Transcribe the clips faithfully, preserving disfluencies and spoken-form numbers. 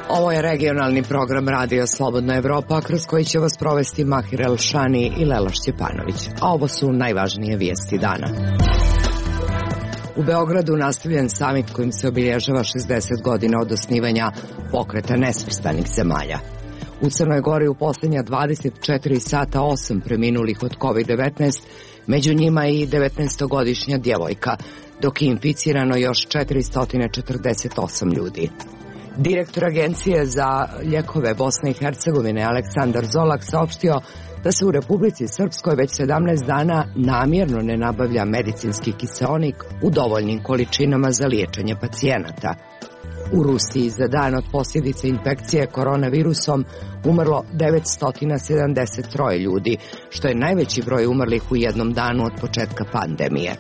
Ovo je regionalni program Radio Slobodna Evropa, kroz koji će vas provesti Mahir Elšani i Lela Šćepanović. A ovo su najvažnije vijesti dana. U Beogradu nastavljen samit kojim se obilježava šezdeset godina od osnivanja Pokreta nesvrstanih zemalja. U Crnoj Gori u posljednja dvadeset četiri sata osam preminulih od kovid devetnaest, među njima i devetnaestogodišnja djevojka, dok je inficirano još četiristo četrdeset osam ljudi. Direktor Agencije za lijekove Bosne i Hercegovine Aleksandar Zolak saopštio da se u Republici Srpskoj već sedamnaest dana namjerno ne nabavlja medicinski kiseonik u dovoljnim količinama za liječenje pacijenata. U Rusiji za dan od posljedice infekcije koronavirusom umrlo devetsto sedamdeset tri ljudi, što je najveći broj umrlih u jednom danu od početka pandemije.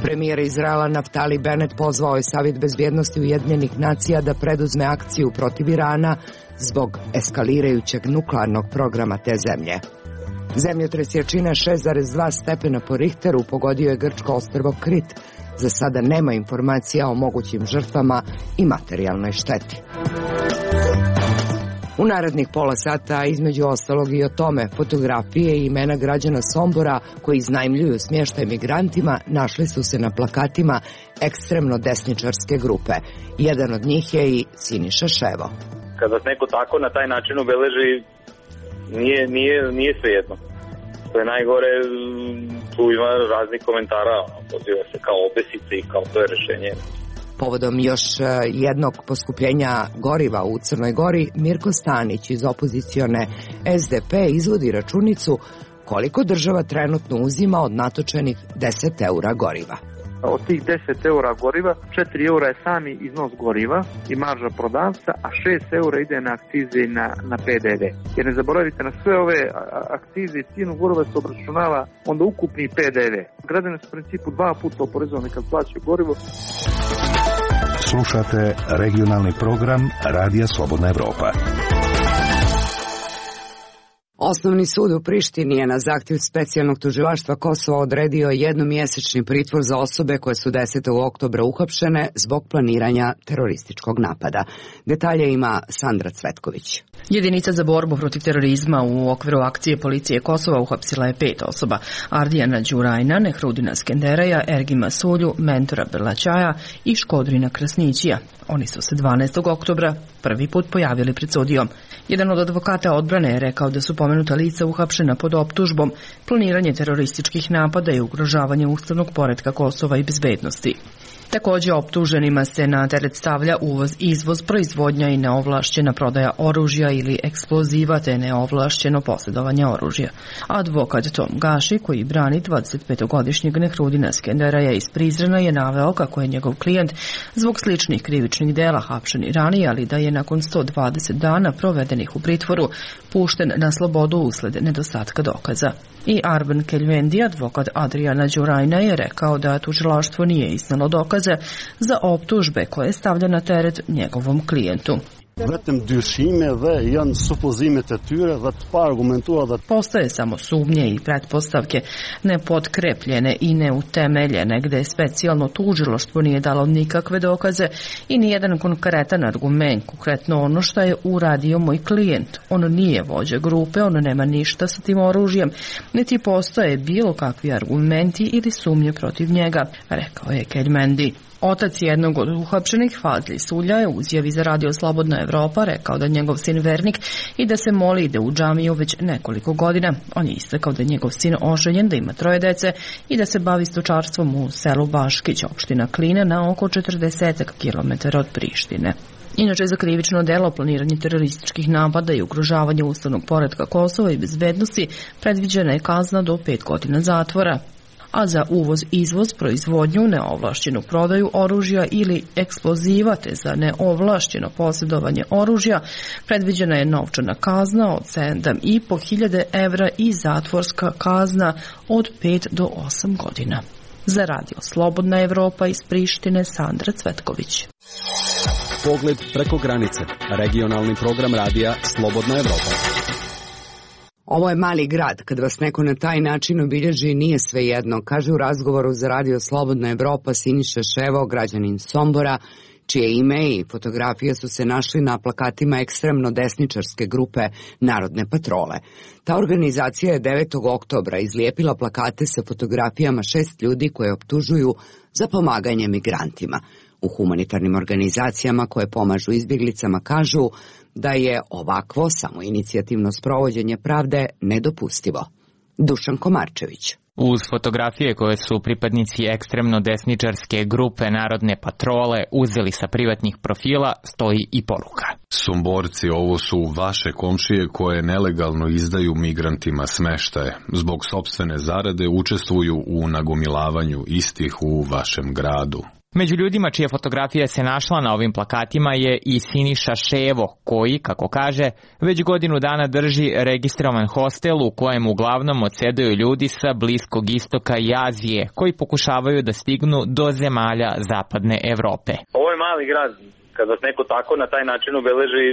Premijer Izraela Naftali Bennett pozvao je Savjet bezbjednosti Ujedinjenih nacija da preduzme akciju protiv Irana zbog eskalirajućeg nuklearnog programa te zemlje. Zemljotres jačine šest zarez dva stepena po Richteru pogodio je grčko ostrvo Krit. Za sada nema informacija o mogućim žrtvama i materijalnoj šteti. U narednih pola sata, između ostalog i o tome, fotografije i imena građana Sombora koji iznajmljuju smještaj migrantima našli su se na plakatima ekstremno desničarske grupe. Jedan od njih je i Siniša Ševo. Kada neko tako na taj način obeleži, nije, nije, nije svejedno. Što je najgore, tu ima raznih komentara, poziva se kao obesice i kao to je rešenje. Povodom još jednog poskupljenja goriva u Crnoj Gori, Mirko Stanić iz opozicione S D P izvodi računicu koliko država trenutno uzima od natočenih deset eura goriva. Od tih deset eura goriva, četiri eura je sami iznos goriva i marža prodavca, a šest eura ide na akcize i na, na P D V. Jer ne zaboravite, na sve ove akcize i cijenu goriva se obračunava onda ukupni P D V. Građani su u principu dva puta oporezovani kad plaćaju gorivo. Slušate regionalni program Radija Slobodna Evropa. Osnovni sud u Prištini je na zahtjev specijalnog tužilaštva Kosova odredio jednomjesečni pritvor za osobe koje su desetog oktobra uhapšene zbog planiranja terorističkog napada. Detalje ima Sandra Cvetković. Jedinica za borbu protiv terorizma u okviru akcije policije Kosova uhapsila je pet osoba: Ardijana Đurajna, Nehrudina Skenderaja, Ergima Sulju, Mentora Berlaćaja i Škodrina Krasnićija. Oni su se dvanaestog oktobra prvi put pojavili pred sudijom. Jedan od advokata odbrane je rekao da su pomenuta lica uhapšena pod optužbom planiranje terorističkih napada i ugrožavanje ustavnog poretka Kosova i bezbednosti. Također optuženima se na teret stavlja uvoz, izvoz, proizvodnja i neovlašćena prodaja oružja ili eksploziva te neovlašćeno posjedovanje oružja. Advokat Tom Gaši, koji brani dvadesetpetogodišnjeg Nehrudina Skenderaja iz Prizrena, je naveo kako je njegov klijent zbog sličnih krivičnih dela hapšen i ranije, ali da je nakon sto dvadeset dana provedenih u pritvoru pušten na slobodu usled nedostatka dokaza. I Arben Keljvendi, advokat Adriana Đurajna, je rekao da tužilaštvo nije iznalo dokaze za optužbe koje stavlja na teret njegovom klijentu. Postoje samo sumnje i pretpostavke, nepotkrepljene i neutemeljene, gde specijalno tužilaštvo nije dalo nikakve dokaze i nijedan konkretan argument, konkretno ono što je uradio moj klijent. On nije vođa grupe, on nema ništa sa tim oružjem, niti postoje bilo kakvi argumenti ili sumnje protiv njega, rekao je Keljmendi. Otac jednog od uhapšenih, Fazli Sulja, je u izjavi za Radio Slobodna Evropa rekao da njegov sin vernik i da se moli ide u džamiju već nekoliko godina. On je istakao da je njegov sin oženjen, da ima troje dece i da se bavi stočarstvom u selu Baškić, opština Kline, na oko četrdeset kilometara od Prištine. Inače, za krivično delo planiranje terorističkih napada i ugrožavanje ustavnog poretka Kosova i bezbednosti predviđena je kazna do pet godina zatvora. A za uvoz, izvoz, proizvodnju, neovlašćenu prodaju oružja ili eksploziva te za neovlašćeno posjedovanje oružja predviđena je novčana kazna od sedam i po hiljade evra i zatvorska kazna od pet do osam godina. Za Radio Slobodna Evropa iz Prištine, Sandra Cvetković. Pogled preko granice. Regionalni program radija Slobodna Evropa. Ovo je mali grad, kad vas neko na taj način obilježi nije svejedno, kaže u razgovoru za Radio Slobodna Evropa Siniša Ševo, građanin Sombora, čije ime i fotografije su se našli na plakatima ekstremno desničarske grupe Narodne patrole. Ta organizacija je devetog oktobra izlijepila plakate sa fotografijama šest ljudi koje optužuju za pomaganje migrantima. U humanitarnim organizacijama koje pomažu izbjeglicama kažu da je ovakvo samoinicijativno sprovođenje pravde nedopustivo. Dušan Komarčević. Uz fotografije koje su pripadnici ekstremno desničarske grupe Narodne patrole uzeli sa privatnih profila stoji i poruka. Somborci, ovo su vaše komšije koje nelegalno izdaju migrantima smeštaje. Zbog sopstvene zarade učestvuju u nagomilavanju istih u vašem gradu. Među ljudima čija fotografija se našla na ovim plakatima je i Siniša Ševo, koji, kako kaže, već godinu dana drži registrovan hostel u kojem uglavnom odsedaju ljudi sa Bliskog istoka i Azije, koji pokušavaju da stignu do zemalja zapadne Evrope. Ovo je mali grad. Kad vas neko tako na taj način obeleži,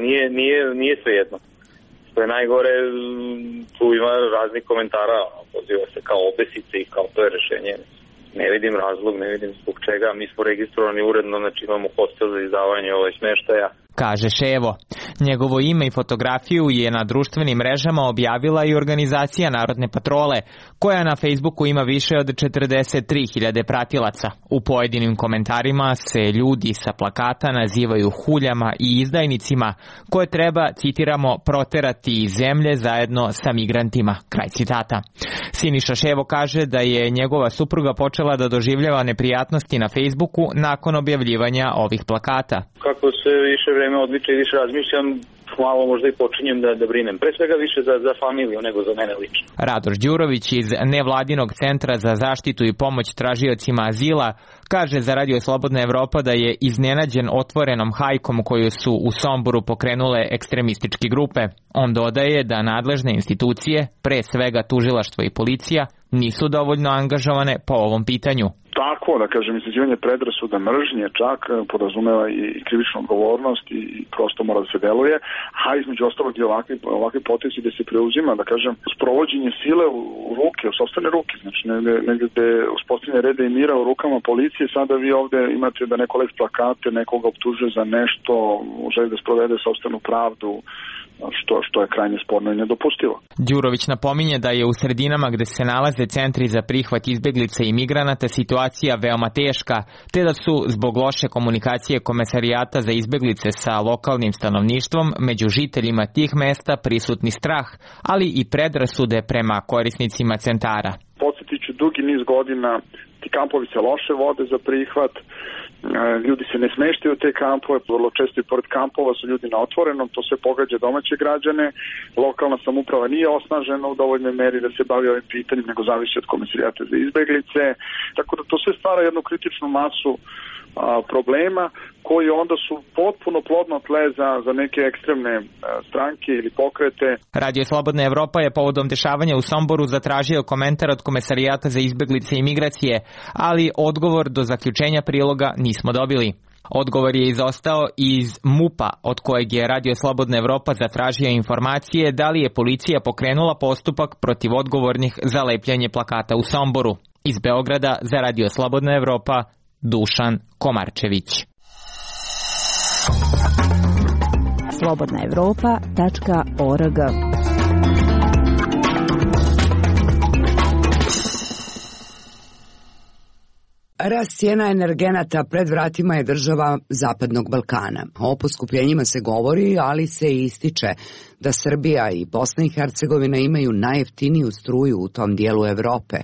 nije, nije, nije svejedno. Što je najgore, tu ima raznih komentara, poziva se kao obesice i kao to je rešenje. Ne vidim razlog, ne vidim zbog čega. Mi smo registrovani uredno, znači imamo hostel za izdavanje ovaj smeštaja. Kaže Ševo. Njegovo ime i fotografiju je na društvenim mrežama objavila i organizacija Narodne patrole, koja na Facebooku ima više od četrdeset tri hiljade pratilaca. U pojedinim komentarima se ljudi sa plakata nazivaju huljama i izdajnicima, koje treba, citiramo, proterati iz zemlje zajedno sa migrantima. Kraj citata. Siniša Ševo kaže da je njegova supruga počela da doživljava neprijatnosti na Facebooku nakon objavljivanja ovih plakata. Kako se više vreme odliče i više razmišljam, malo možda i počinjem da, da brinem. Pre svega više za, za familiju nego za mene lično. Radoš Đurović iz Nevladinog centra za zaštitu i pomoć tražiocima azila kaže za Radio Slobodna Evropa da je iznenađen otvorenom hajkom koju su u Somboru pokrenule ekstremističke grupe. On dodaje da nadležne institucije, pre svega tužilaštvo i policija, nisu dovoljno angažovane po ovom pitanju. Tako, da kažem, izazivanje predrasuda mržnje čak podrazumeva i krivičnu odgovornost i prosto mora da se deluje, a između ostalog i ovakvi, ovakvi potezi gde se preuzima, da kažem, sprovođenje sile u, u ruke, u sopstvene ruke, znači negde, negde gde uspostavljanje reda i mira u rukama policije, sada vi ovde imate da neko lepi plakate, nekoga optužuje za nešto, želi da sprovede sopstvenu pravdu, što, što je krajnje sporno i nedopustivo. Đurović napominje da je u sredinama gde se nalaze centri za prihvat izbeglica i migranata situacija veoma teška, te da su zbog loše komunikacije Komesarijata za izbeglice sa lokalnim stanovništvom među žiteljima tih mesta prisutni strah, ali i predrasude prema korisnicima centara. Podsjetit ću, dugi niz godina ti kampovi se loše vode za prihvat, ljudi se ne smeštaju u te kampove, vrlo često i pored kampova su ljudi na otvorenom, to sve pogađa domaće građane, lokalna samouprava nije osnažena u dovoljnoj meri da se bavi ovim pitanjem, nego zavisi od Komesarijata za izbeglice, tako da to sve stvara jednu kritičnu masu a, problema koji onda su potpuno plodno tle za, za neke ekstremne a, stranke ili pokrete. Radio Slobodna Evropa je povodom dešavanja u Somboru zatražio komentar od Komesarijata za izbeglice i migracije, ali odgovor do zaključenja priloga nismo dobili. Odgovor je izostao iz MUP-a, od kojeg je Radio Slobodna Evropa zatražio informacije da li je policija pokrenula postupak protiv odgovornih za lepljanje plakata u Somboru. Iz Beograda za Radio Slobodna Evropa, Dušan Komarčević. slobodna evropa tačka org. Rast cijena energenata pred vratima je država Zapadnog Balkana. O poskupljenjima se govori, ali se i ističe da Srbija i Bosna i Hercegovina imaju najjeftiniju struju u tom dijelu Evrope.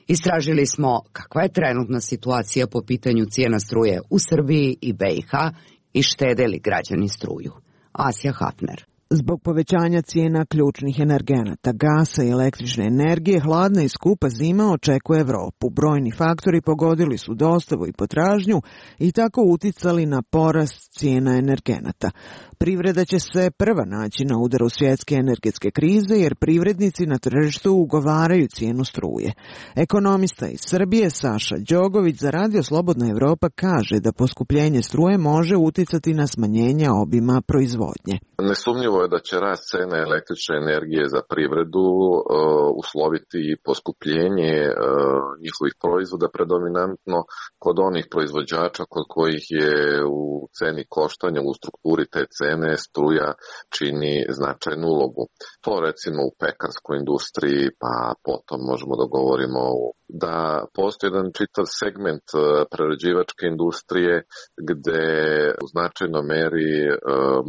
Istražili smo kakva je trenutna situacija po pitanju cijena struje u Srbiji i B i H i štede li građani struju. Asja Hafner. Zbog povećanja cijena ključnih energenata, gasa i električne energije, hladna i skupa zima očekuje Evropu. Brojni faktori pogodili su dostavu i potražnju i tako uticali na porast cijena energenata. Privreda će se prva naći na udaru svjetske energetske krize jer privrednici na tržištu ugovaraju cijenu struje. Ekonomista iz Srbije Saša Đogović za Radio Slobodna Evropa kaže da poskupljenje struje može uticati na smanjenje obima proizvodnje. Nesumnjivo je da će rast cene električne energije za privredu uh, usloviti poskupljenje uh, njihovih proizvoda predominantno kod onih proizvođača kod kojih je u ceni koštanja, u strukturi te cene struja čini značajnu ulogu. To recimo u pekarskoj industriji, pa potom možemo da govorimo da postoji jedan čitav segment prerađivačke industrije gde u značajnoj meri uh,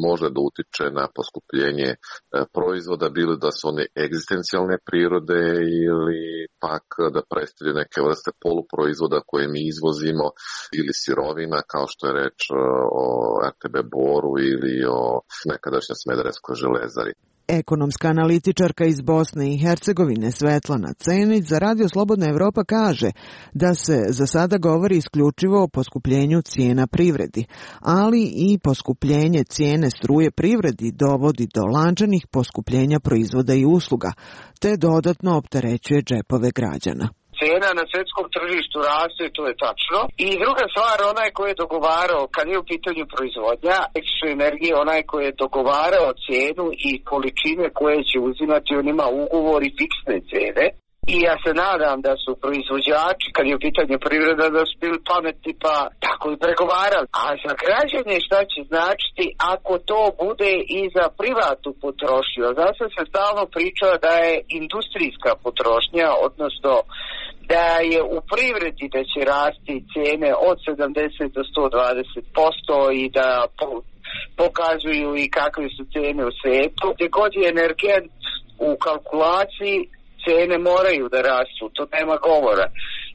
može da utiče na poskupljenje uh, proizvoda, bilo da su one egzistencijalne prirode ili pak da predstavljaju neke vrste poluproizvoda koje mi izvozimo ili sirovina kao što je reč uh, o er te be Boru ili o nekadašnjoj Smederevskoj železari. Ekonomska analitičarka iz Bosne i Hercegovine Svetlana Cenić za Radio Slobodna Evropa kaže da se za sada govori isključivo o poskupljenju cijena privredi, ali i poskupljenje cijene struje privredi dovodi do lančanih poskupljenja proizvoda i usluga, te dodatno opterećuje džepove građana. Cena na svjetskom tržištu raste, to je tačno. I druga stvar, onaj koji je dogovarao, kad je u pitanju proizvodnja električne energije, onaj koji je dogovarao cijenu i količine koje će uzimati, on ima ugovor i fiksne cene. I ja se nadam da su proizvođači, kad je u pitanju privreda, da su bili pametni pa tako i pregovarali. A za građane šta će značiti ako to bude i za privatnu potrošnju? Zato se stalno priča da je industrijska potrošnja, odnosno da je u privredi da će rasti cijene od sedamdeset do sto dvadeset posto i da po, pokazuju i kakve su cijene u svijetu. Gdje god je energent u kalkulaciji, cijene moraju da rastu, to nema govora.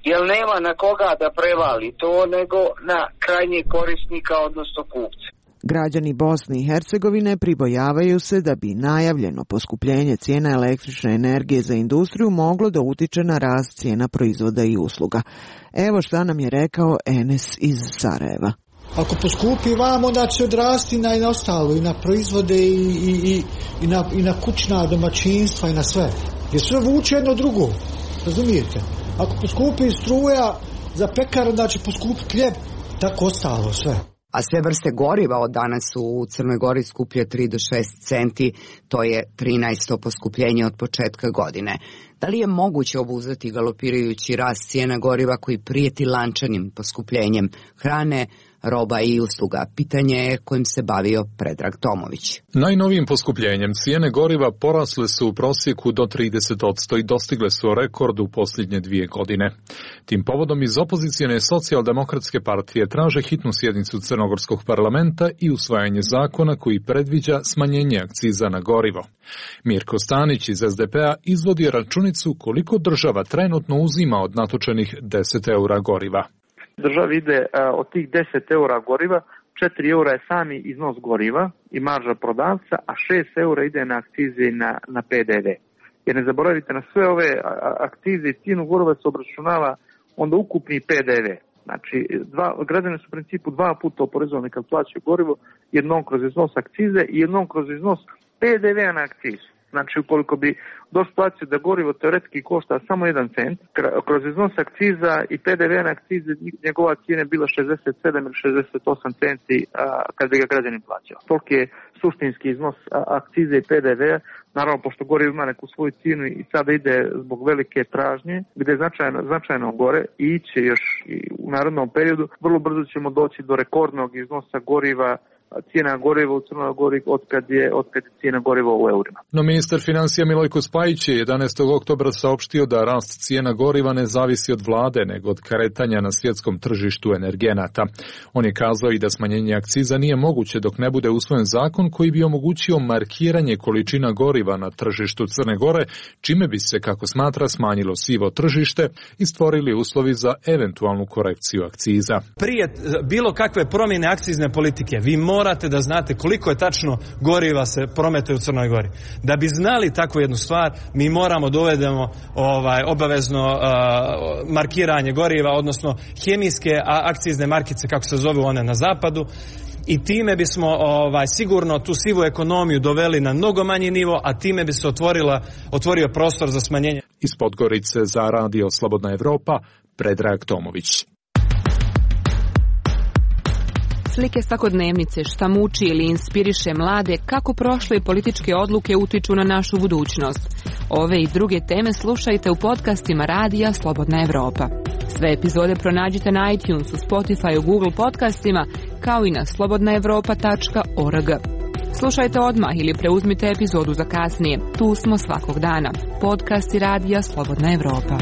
Jer nema na koga da prevali to, nego na krajnjeg korisnika, odnosno kupca. Građani Bosne i Hercegovine pribojavaju se da bi najavljeno poskupljenje cijena električne energije za industriju moglo da utiče na rast cijena proizvoda i usluga. Evo šta nam je rekao Enes iz Sarajeva. Ako poskupi vam, onda će odrasti na, i na ostalo, i na proizvode, i, i, i, i, na, i na kućna domaćinstva, i na sve. Jer sve vuče jedno drugo, razumijete? Ako poskupi struja za pekar, onda će poskupiti hljeb, tako ostalo sve. A sve vrste goriva od danas su u Crnoj Gori skuplje tri do šest centi, to je trinaesto poskupljenje od početka godine. Da li je moguće obuzdati galopirajući rast cijena goriva koji prijeti lančanim poskupljenjem hrane, roba i usluga? Pitanje je kojim se bavio Predrag Tomović. Najnovijim poskupljenjem cijene goriva porasle su u prosjeku do trideset posto i dostigle su rekord u posljednje dvije godine. Tim povodom iz opozicijone socijaldemokratske partije traže hitnu sjednicu Crnogorskog parlamenta i usvajanje zakona koji predviđa smanjenje akciza na gorivo. Mirko Stanić iz es de pe a izvodi računicu koliko država trenutno uzima od natočenih deset eura goriva. Državi ide od tih deset eura goriva, četiri eura je sami iznos goriva i marža prodavca, a šest eura ide na akcize i na, na pe de ve. Jer ne zaboravite, na sve ove akcize i cijenu goriva se obračunava onda ukupni pe de ve. Znači, dva, građani su u principu dva puta oporezovani kad plaćaju gorivo, jednom kroz iznos akcize i jednom kroz iznos pe de ve na akcizu. Znači, ukoliko bi došli situaciju da gorivo teoretski košta samo jedan cent, kroz iznos akciza i pe de ve na akcize njegova cijena je bila šezdeset sedam ili šezdeset osam centi a, kad bi ga građanin plaćao. Toliki je suštinski iznos a, akcize i pe de ve. Naravno, pošto gorivo ima neku svoju cijenu i sada ide zbog velike tražnje, gdje je značajno, značajno gore i iće još i u narednom periodu, vrlo brzo ćemo doći do rekordnog iznosa goriva, cijena goriva u Crnoj Gori od kad je, od kad je cijena goriva u eurima. No ministar financija Milojko Spajić je jedanaestog oktobra saopštio da rast cijena goriva ne zavisi od vlade, nego od kretanja na svjetskom tržištu energenata. On je kazao i da smanjenje akciza nije moguće dok ne bude usvojen zakon koji bi omogućio markiranje količina goriva na tržištu Crne Gore, čime bi se, kako smatra, smanjilo sivo tržište i stvorili uslovi za eventualnu korekciju akciza. Prije bilo kakve promjene akcizne politike, vi morate da znate koliko je tačno goriva se prometuje u Crnoj Gori. Da bi znali takvu jednu stvar, mi moramo dovedemo ovaj, obavezno uh, markiranje goriva, odnosno hemijske akcizne markice, kako se zovu one na zapadu. i time bismo ovaj, sigurno tu sivu ekonomiju doveli na mnogo manji nivo, a time bi se otvorila, otvorio prostor za smanjenje. Iz Podgorice za Radio Slobodna Evropa, Predrag Tomović. Slike svakodnevnice, šta muči ili inspiriše mlade, kako prošle političke odluke utiču na našu budućnost. Ove i druge teme slušajte u podcastima Radija Slobodna Evropa. Sve epizode pronađite na iTunesu, Spotify, Google podcastima, kao i na slobodna evropa tačka org. Slušajte odmah ili preuzmite epizodu za kasnije. Tu smo svakog dana. Podcasti Radija Slobodna Evropa.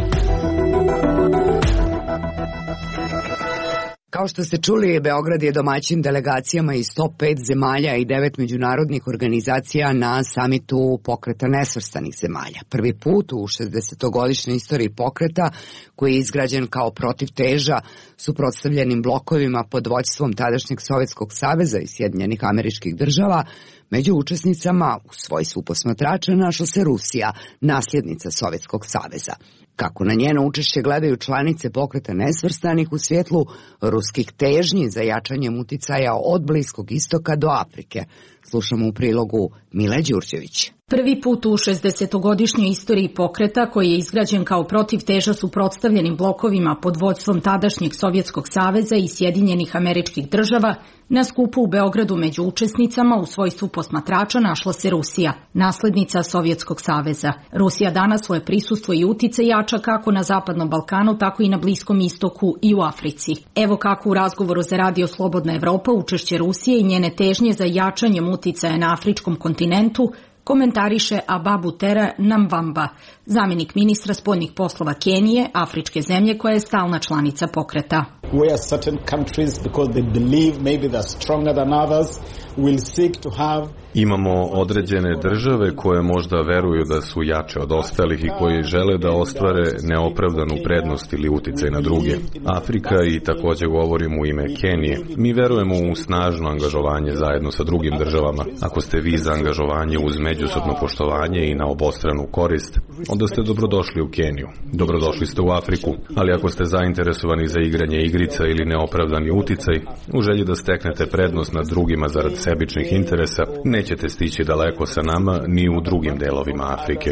Kao što ste čuli, Beograd je domaćin delegacijama iz sto pet zemalja i devet međunarodnih organizacija na samitu Pokreta nesvrstanih zemalja. Prvi put u šezdesetogodišnjoj istoriji pokreta, koji je izgrađen kao protivteža suprotstavljenim blokovima pod vođstvom tadašnjeg Sovjetskog saveza i Sjedinjenih Američkih Država, među učesnicama u svojstvu posmatrača našla se Rusija, nasljednica Sovjetskog saveza. Kako na njeno učešće gledaju članice Pokreta nesvrstanih u svjetlu ruskih težnji za jačanjem uticaja od Bliskog istoka do Afrike? Slušamo u prilogu Mile Đurđević. Prvi put u šezdesetogodišnjoj istoriji pokreta, koji je izgrađen kao protivteža suprotstavljenim blokovima pod vođstvom tadašnjeg Sovjetskog saveza i Sjedinjenih Američkih Država, na skupu u Beogradu među učesnicama u svojstvu posmatrača našla se Rusija, naslednica Sovjetskog saveza. Rusija danas svoje prisustvo i utice jača kako na Zapadnom Balkanu, tako i na Bliskom istoku i u Africi. Evo kako u razgovoru za Radio Slobodna Evropa učešće Rusije i njene težnje za jačanjem uticaja na afričkom kontinentu komentariše Ababutera Namvamba, zamjenik ministra spoljnih poslova Kenije, afričke zemlje koja je stalna članica pokreta. Where certain countries, because they believe maybe they're stronger than others, will seek to have Imamo određene države koje možda veruju da su jače od ostalih i koji žele da ostvare neopravdanu prednost ili uticaj na druge. Afrika, i također govorim u ime Kenije. Mi verujemo u snažno angažovanje zajedno sa drugim državama. Ako ste vi za angažovanje uz međusobno poštovanje i na obostranu korist, onda ste dobrodošli u Keniju. Dobrodošli ste u Afriku. Ali ako ste zainteresovani za igranje igrica ili neopravdani uticaj, u želji da steknete prednost nad drugima zarad sebičnih interesa, ne nećete stići daleko sa nama ni u drugim delovima Afrike.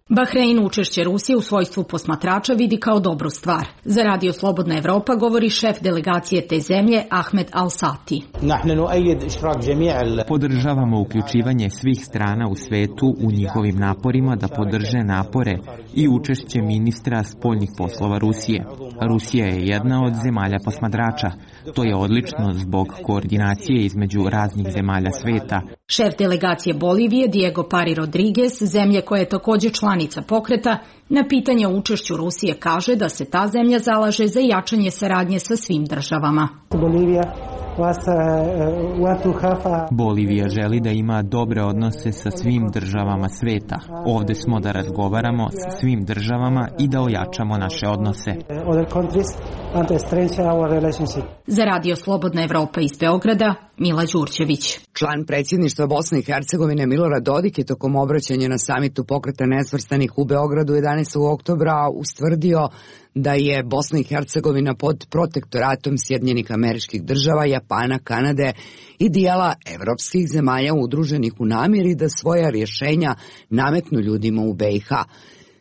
Bahrein učešće Rusije u svojstvu posmatrača vidi kao dobru stvar. Za Radio Slobodna Evropa govori šef delegacije te zemlje Ahmed Al-Sati. Podržavamo uključivanje svih strana u svetu u njihovim naporima da podrže napore i učešće ministra spoljnih poslova Rusije. Rusija je jedna od zemalja posmatrača. To je odlično zbog koordinacije između raznih zemalja sveta. Šef delegacije Bolivije Diego Pari Rodriguez, zemlje koja je također članica pokreta, na pitanje o učešću Rusije kaže da se ta zemlja zalaže za jačanje saradnje sa svim državama. Bolivija želi da ima dobre odnose sa svim državama sveta. Ovdje smo da razgovaramo sa svim državama i da ojačamo naše odnose. Za Radio Slobodna Evropa iz Beograda, Mila Đurđević. Član predsjedništva Bosne i Hercegovine Milorad Dodik je tokom obraćanja na samitu Pokreta nesvrstanih u Beogradu jedanaestog oktobra ustvrdio da je Bosna i Hercegovina pod protektoratom Sjedinjenih Američkih Država, Japana, Kanade i dijela evropskih zemalja udruženih u namjeri da svoja rješenja nametnu ljudima u be i ha.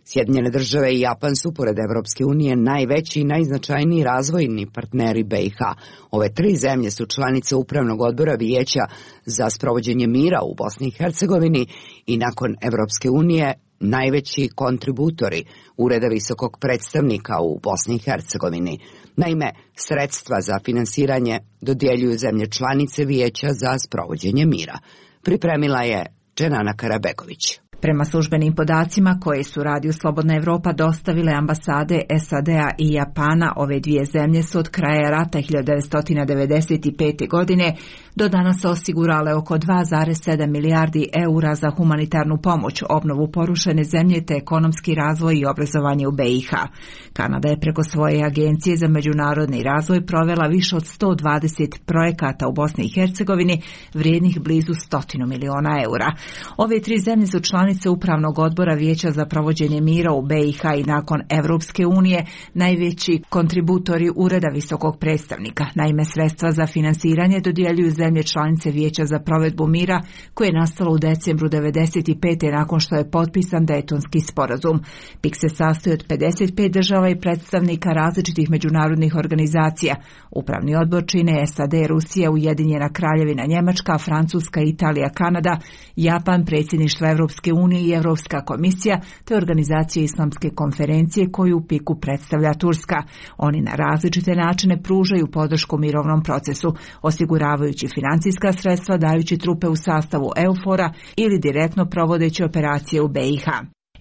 Sjedinjene Države i Japan su, pored Evropske unije, najveći i najznačajniji razvojni partneri be i ha. Ove tri zemlje su članice Upravnog odbora Vijeća za sprovođenje mira u Bosni i Hercegovini i nakon Evropske unije najveći kontributori Ureda visokog predstavnika u Bosni i Hercegovini. Naime, sredstva za finansiranje dodjeljuju zemlje članice Vijeća za sprovođenje mira. Pripremila je Dženana Karabegović. Prema službenim podacima koje su Radio Slobodna Evropa dostavile ambasade es a de a i Japana, ove dvije zemlje su od kraja rata hiljadu devetsto devedeset pete. godine do danas osigurale oko dva zarez sedam milijardi eura za humanitarnu pomoć, obnovu porušene zemlje te ekonomski razvoj i obrazovanje u be i ha. Kanada je preko svoje agencije za međunarodni razvoj provela više od sto dvadeset projekata u Bosni i Hercegovini vrijednih blizu stotinu miliona eura. Ove tri zemlje su članice članice Upravnog odbora Vijeća za provođenje mira u B i H i nakon Evropske unije najveći kontributori Ureda visokog predstavnika. Naime, sredstva za finansiranje dodjeljuju zemlje članice Vijeća za provedbu mira koje je nastalo u decembru devedeset pete nakon što je potpisan Dejtonski sporazum. P I K se sastoji od pedeset pet država i predstavnika različitih međunarodnih organizacija. Upravni odbor čine S A D, Rusija, Ujedinjena Kraljevina Njemačka, Francuska, Italija, Kanada, Japan, predsjedništvo Evropske unije i Evropska komisija, te organizacije Islamske konferencije koju u P I K-u predstavlja Turska. Oni na različite načine pružaju podršku mirovnom procesu, osiguravajući financijska sredstva, dajući trupe u sastavu EUFOR-a ili direktno provodeći operacije u B i H.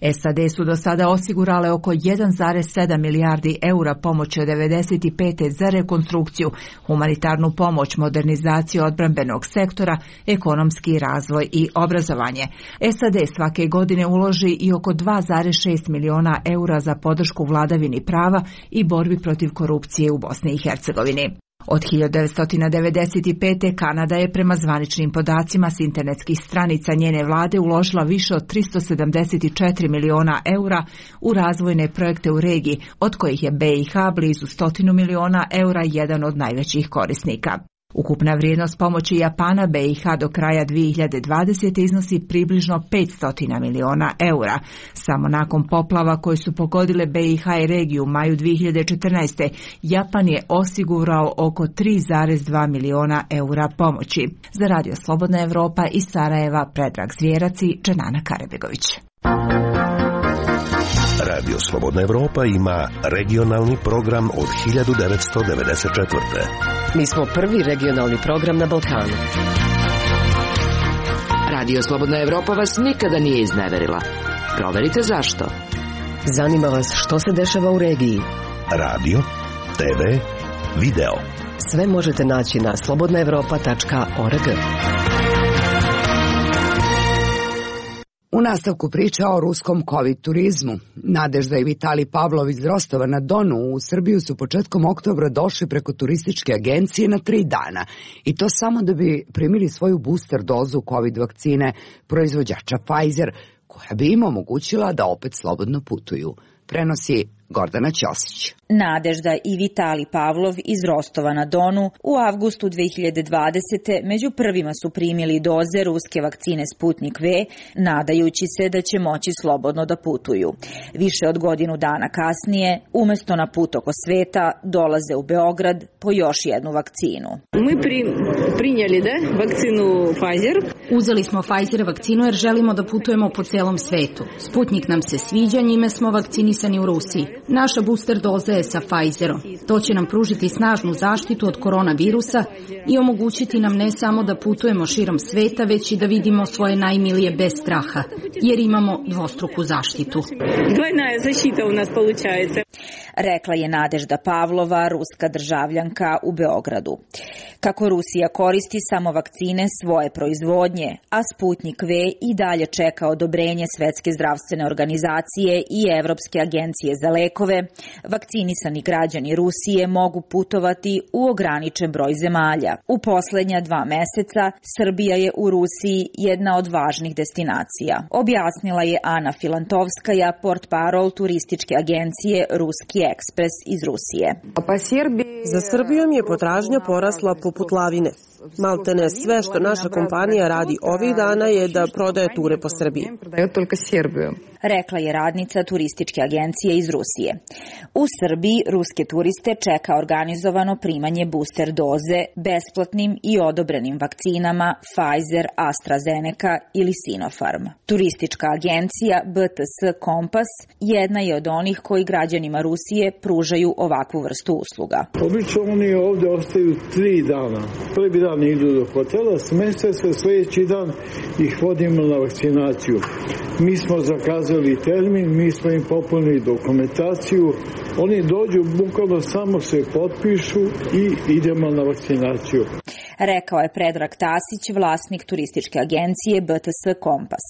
S A D su do sada osigurale oko jedan zarez sedam milijardi eura pomoći od devedeset pete za rekonstrukciju, humanitarnu pomoć, modernizaciju odbrambenog sektora, ekonomski razvoj i obrazovanje. S A D svake godine uloži i oko dva zarez šest miliona eura za podršku vladavini prava i borbi protiv korupcije u Bosni i Hercegovini. Od hiljadu devetsto devedeset pete. Kanada je prema zvaničnim podacima s internetskih stranica njene vlade uložila više od tristo sedamdeset četiri miliona eura u razvojne projekte u regiji, od kojih je B i H blizu stotinu miliona eura jedan od najvećih korisnika. Ukupna vrijednost pomoći Japana B i H do kraja dvije hiljade dvadesete. iznosi približno petsto miliona eura. Samo nakon poplava koje su pogodile B i H i regiju u maju dvije hiljade četrnaeste. Japan je osigurao oko tri zarez dva miliona eura pomoći. Za Radio Slobodna Evropa iz Sarajeva Predrag Zvjerac i Dženana Karebegović. Radio Slobodna Evropa ima regionalni program od hiljadu devetsto devedeset četvrte. Mi smo prvi regionalni program na Balkanu. Radio Slobodna Evropa vas nikada nije izneverila. Proverite zašto. Zanima vas što se dešava u regiji. Radio, T V, video. Sve možete naći na slobodna evropa tačka org. U nastavku priča o ruskom COVID turizmu. Nadežda i Vitalij Pavlov iz Rostova na Donu u Srbiju su početkom oktobra došli preko turističke agencije na tri dana. I to samo da bi primili svoju booster dozu COVID vakcine proizvođača Pfizer, koja bi im omogućila da opet slobodno putuju. Prenosi Gordana Ćosić. Nadežda i Vitalij Pavlov iz Rostova na Donu u avgustu dvije hiljade dvadesete. među prvima su primili doze ruske vakcine Sputnik V, nadajući se da će moći slobodno da putuju. Više od godinu dana kasnije, umesto na put oko sveta, dolaze u Beograd po još jednu vakcinu. Mi pri, prinjeli da vakcinu Pfizer. Uzeli smo Pfizer vakcinu jer želimo da putujemo po celom svetu. Sputnik nam se sviđa, njime smo vakcinisani u Rusiji. Naša booster doza je sa Pfizerom. To će nam pružiti snažnu zaštitu od koronavirusa i omogućiti nam ne samo da putujemo širom sveta, već i da vidimo svoje najmilije bez straha, jer imamo dvostruku zaštitu. Dvojna je zaštita u nas получается. Rekla je Nadežda Pavlova, ruska državljanka u Beogradu. Kako Rusija koristi samo vakcine svoje proizvodnje, a Sputnik V i dalje čeka odobrenje Svetske zdravstvene organizacije i Evropske agencije za lekove, vakcinisani građani Rusije mogu putovati u ograničen broj zemalja. U poslednja dva meseca Srbija je u Rusiji jedna od važnih destinacija, objasnila je Ana Filantovskaja, portparol turističke agencije Ruski ekspres iz Rusije. Za Srbijom je potražnja porasla poput lavine. Maltene sve što naša kompanija radi ovih dana je da prodaje ture po Srbiji. Rekla je radnica turističke agencije iz Rusije. U Srbiji ruske turiste čeka organizovano primanje booster doze besplatnim i odobrenim vakcinama Pfizer, AstraZeneca ili Sinopharm. Turistička agencija B T S Kompas jedna je od onih koji građanima Rusije pružaju ovakvu vrstu usluga. Obično oni ovde ostaju tri dana. Prvi dan idu do hotela, smeste se, sljedeći dan ih vodimo na vakcinaciju. Mi smo zakazali termin, mi smo im popunili dokumentaciju, oni dođu, bukvalno samo se potpišu i idemo na vakcinaciju. rekao je Predrag Tasić, vlasnik turističke agencije B T S Kompas.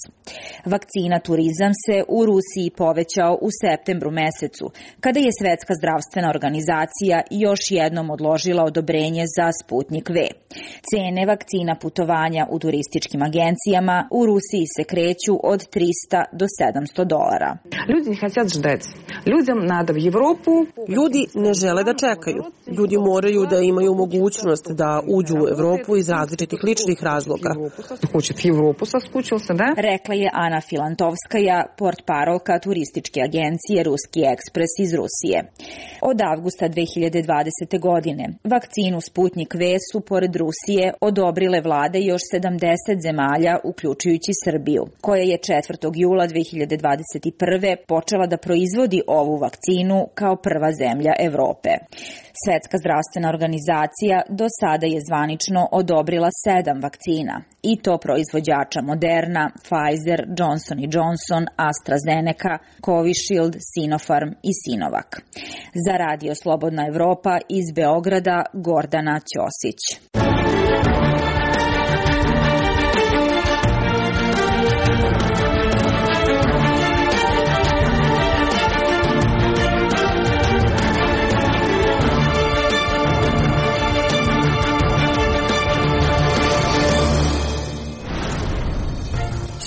Vakcina Turizam se u Rusiji povećao u septembru mesecu, kada je Svetska zdravstvena organizacija još jednom odložila odobrenje za Sputnik V. Cene vakcina putovanja u turističkim agencijama u Rusiji se kreću od trista do sedamsto dolara. Ljudi хотят ждать. Людям надо в Европу. Ljudi ne žele da čekaju. Ljudi moraju da imaju mogućnost da uđu u Evropu iz različitih ličnih razloga. Hoće v Evropu saskučился, da? Rekla je Ana Filantovskaja, portparolka turističke agencije Ruski ekspres iz Rusije. Od avgusta dve hiljade dvadesete. godine vakcinu Sputnik V su pored Rusije odobrile vlade još sedamdeset zemalja, uključujući Srbiju, koja je četvrtog jula dve hiljade dvadeset prve. počela da proizvodi ovu vakcinu kao prva zemlja Evrope. Svetska zdravstvena organizacija do sada je zvanično odobrila sedam vakcina, i to proizvođača Moderna, Pfizer, Johnson and Johnson, AstraZeneca, Covishield, Sinopharm i Sinovac. Za Radio Slobodna Evropa iz Beograda, Gordana Ćosić.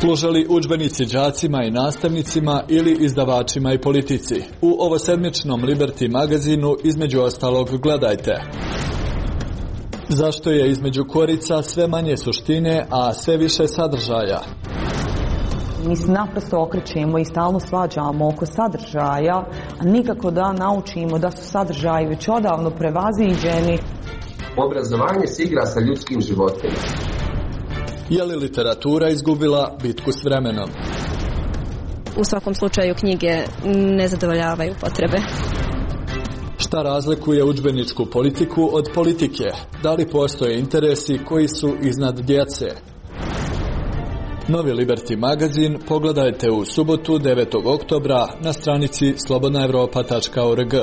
Služali udžbenici đacima i nastavnicima ili izdavačima i politici. U ovosedmičnom Liberty magazinu između ostalog gledajte: zašto je između korica sve manje suštine, a sve više sadržaja? Mi se naprosto okrećemo i stalno svađamo oko sadržaja, a nikako da naučimo da su sadržaji već odavno prevaziđeni. Obrazovanje se igra sa ljudskim životima. Je li literatura izgubila bitku s vremenom? U svakom slučaju knjige ne zadovoljavaju potrebe. Šta razlikuje udžbeničku politiku od politike? Da li postoje interesi koji su iznad djece? Novi Liberty magazin pogledajte u subotu devetog oktobra na stranici slobodna evropa tačka org.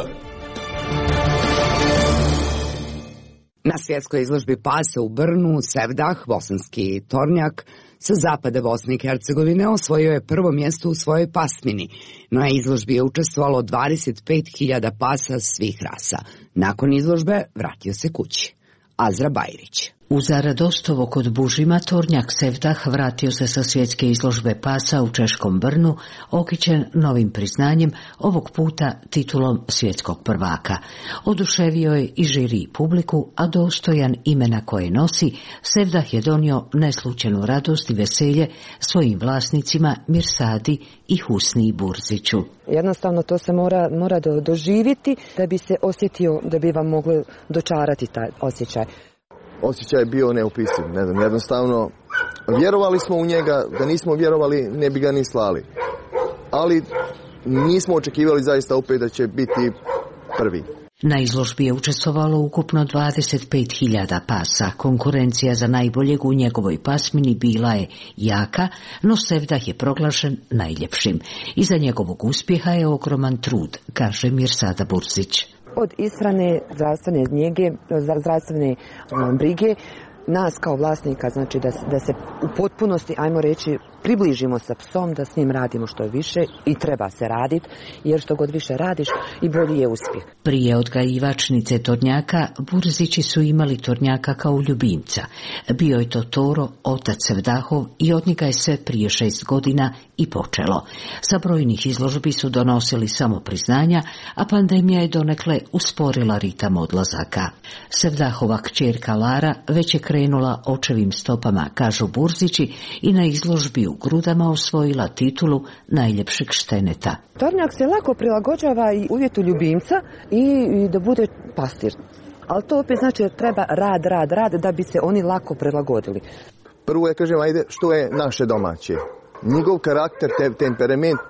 Na svjetskoj izložbi pasa u Brnu, Sevdah, bosanski tornjak, sa zapada Bosne i Hercegovine osvojio je prvo mjesto u svojoj pasmini. Na izložbi je učestvovalo dvadeset pet hiljada pasa svih rasa. Nakon izložbe vratio se kući. Azra Bajrić. U Zaradostovo kod Bužima tornjak Sevdah vratio se sa svjetske izložbe pasa u češkom Brnu, okićen novim priznanjem, ovog puta titulom svjetskog prvaka. Oduševio je i žiri i publiku, a dostojan imena koje nosi, Sevdah je donio neslučajnu radost i veselje svojim vlasnicima Mirsadi i Husni Burziću. Jednostavno to se mora, mora do, doživiti da bi se osjetio, da bi vam mogli dočarati taj osjećaj. Osjećaj je bio neopisiv, ne znam, jednostavno vjerovali smo u njega, da nismo vjerovali ne bi ga ni slali. Ali nismo očekivali zaista opet da će biti prvi. Na izložbi je učestvovalo ukupno dvadeset pet hiljada pasa. Konkurencija za najboljeg u njegovoj pasmini bila je jaka, no Sevdah je proglašen najljepšim. Iza njegovog uspjeha je ogroman trud, kaže Mirsada Burzić. Od ishrane, zdravstvene njege, zdravstvene brige, nas kao vlasnika, znači da, da se u potpunosti, ajmo reći, približimo sa psom, da s njim radimo što je više i treba se raditi, jer što god više radiš i bolji je uspjeh. Prije odgajivačnice tornjaka, Burzići su imali tornjaka kao ljubimca. Bio je to Toro, otac Sevdahov, i od njega je sve prije šest godina i počelo. Sa brojnih izložbi su donosili samo priznanja, a pandemija je donekle usporila ritam odlazaka. Sevdahova kćerka Lara već je krenula očevim stopama, kažu Burzići, i na izložbi u Grudama osvojila titulu najljepšeg šteneta. Tornjak se lako prilagođava i uvjetu ljubimca i, i da bude pastir. Ali to opet znači da treba rad, rad, rad da bi se oni lako prilagodili. Prvo je, kažem, ajde, što je naše domaće. Njegov karakter, te, temperament,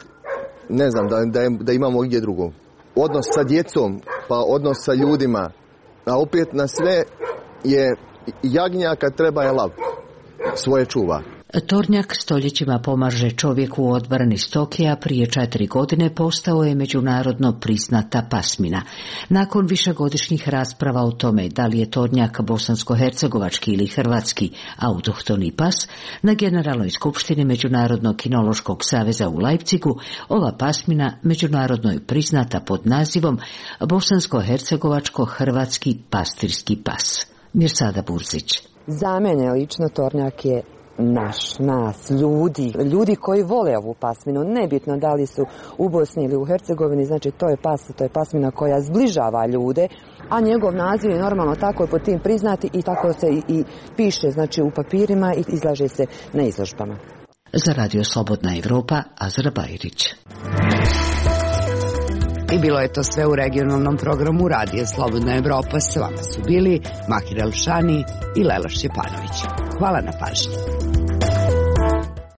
ne znam, da, da, da imamo gdje drugo. Odnos sa djecom, pa odnos sa ljudima, a opet na sve je jagnjaka treba je lav, svoje čuva. Tornjak stoljećima pomaže čovjeku u odbrani stoke, a prije četiri godine postao je međunarodno priznata pasmina. Nakon višegodišnjih rasprava o tome da li je tornjak bosansko-hercegovački ili hrvatski autohtoni pas, na Generalnoj skupštini Međunarodnog kinološkog saveza u Leipzigu ova pasmina međunarodno je priznata pod nazivom bosansko-hercegovačko-hrvatski pastirski pas. Mirsada Burzić. Za mene lično tornjak je naš, nas, ljudi, ljudi koji vole ovu pasminu, nebitno da li su u Bosni ili u Hercegovini, znači to je pas, to je pasmina koja zbližava ljude, a njegov naziv je normalno tako pod tim priznati i tako se i, i piše, znači u papirima i izlaže se na izložbama. Za Radio Slobodna Evropa, Azra Bajrić. I bilo je to sve u regionalnom programu Radija Slobodna Evropa. S vama su bili Mahir Elšani i Lela Šćepanović. Hvala na pažnji.